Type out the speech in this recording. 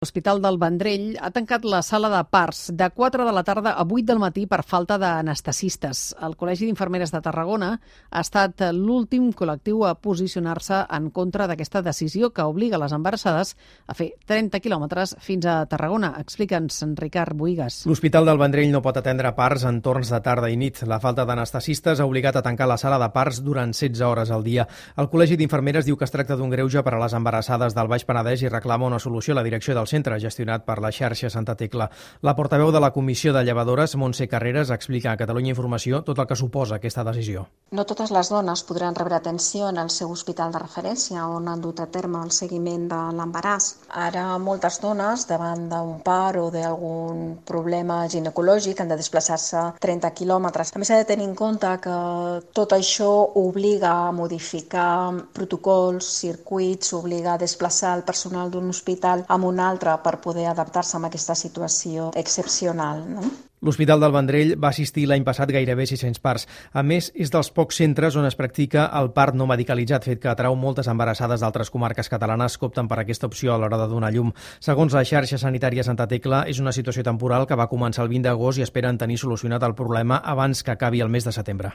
L'Hospital del Vendrell ha tancat la sala de parts de 4 de la tarda a 8 del matí per falta d'anestesistes. El Col·legi d'Infermeres de Tarragona ha estat l'últim col·lectiu a posicionar-se en contra d'aquesta decisió que obliga les embarassades a fer 30 quilòmetres fins a Tarragona. Explica'ns, Ricard Bohigas. L'Hospital del Vendrell no pot atendre parts en torns de tarda i nit. La falta d'anestesistes ha obligat a tancar la sala de parts durant 16 hores al dia. El Col·legi d'Infermeres diu que es tracta d'un greuge per a les embarassades del Baix Penedès i reclama una solució a la direcció del centre, gestionat per la xarxa Santa Tecla. La portaveu de la Comissió de Llevadores, Montse Carreras, explica a Catalunya Informació tot el que suposa aquesta decisió. No totes les dones podran rebre atenció en el seu hospital de referència on han dut a terme el seguiment de l'embaràs. Ara moltes dones, davant d'un part o d'algun problema ginecològic, han de desplaçar-se 30 quilòmetres. A més, s'ha de tenir en compte que tot això obliga a modificar protocols, circuits, obliga a desplaçar el personal d'un hospital a un altre per poder adaptar-se a aquesta situació excepcional, no? L'Hospital del Vendrell va assistir l'any passat gairebé 600 parts. A més, és dels pocs centres on es practica el part no medicalitzat, fet que atrau moltes embarassades d'altres comarques catalanes que opten per aquesta opció a l'hora de donar llum. Segons la xarxa sanitària Santa Tecla, és una situació temporal que va començar el 20 d'agost i esperen tenir solucionat el problema abans que acabi el mes de setembre.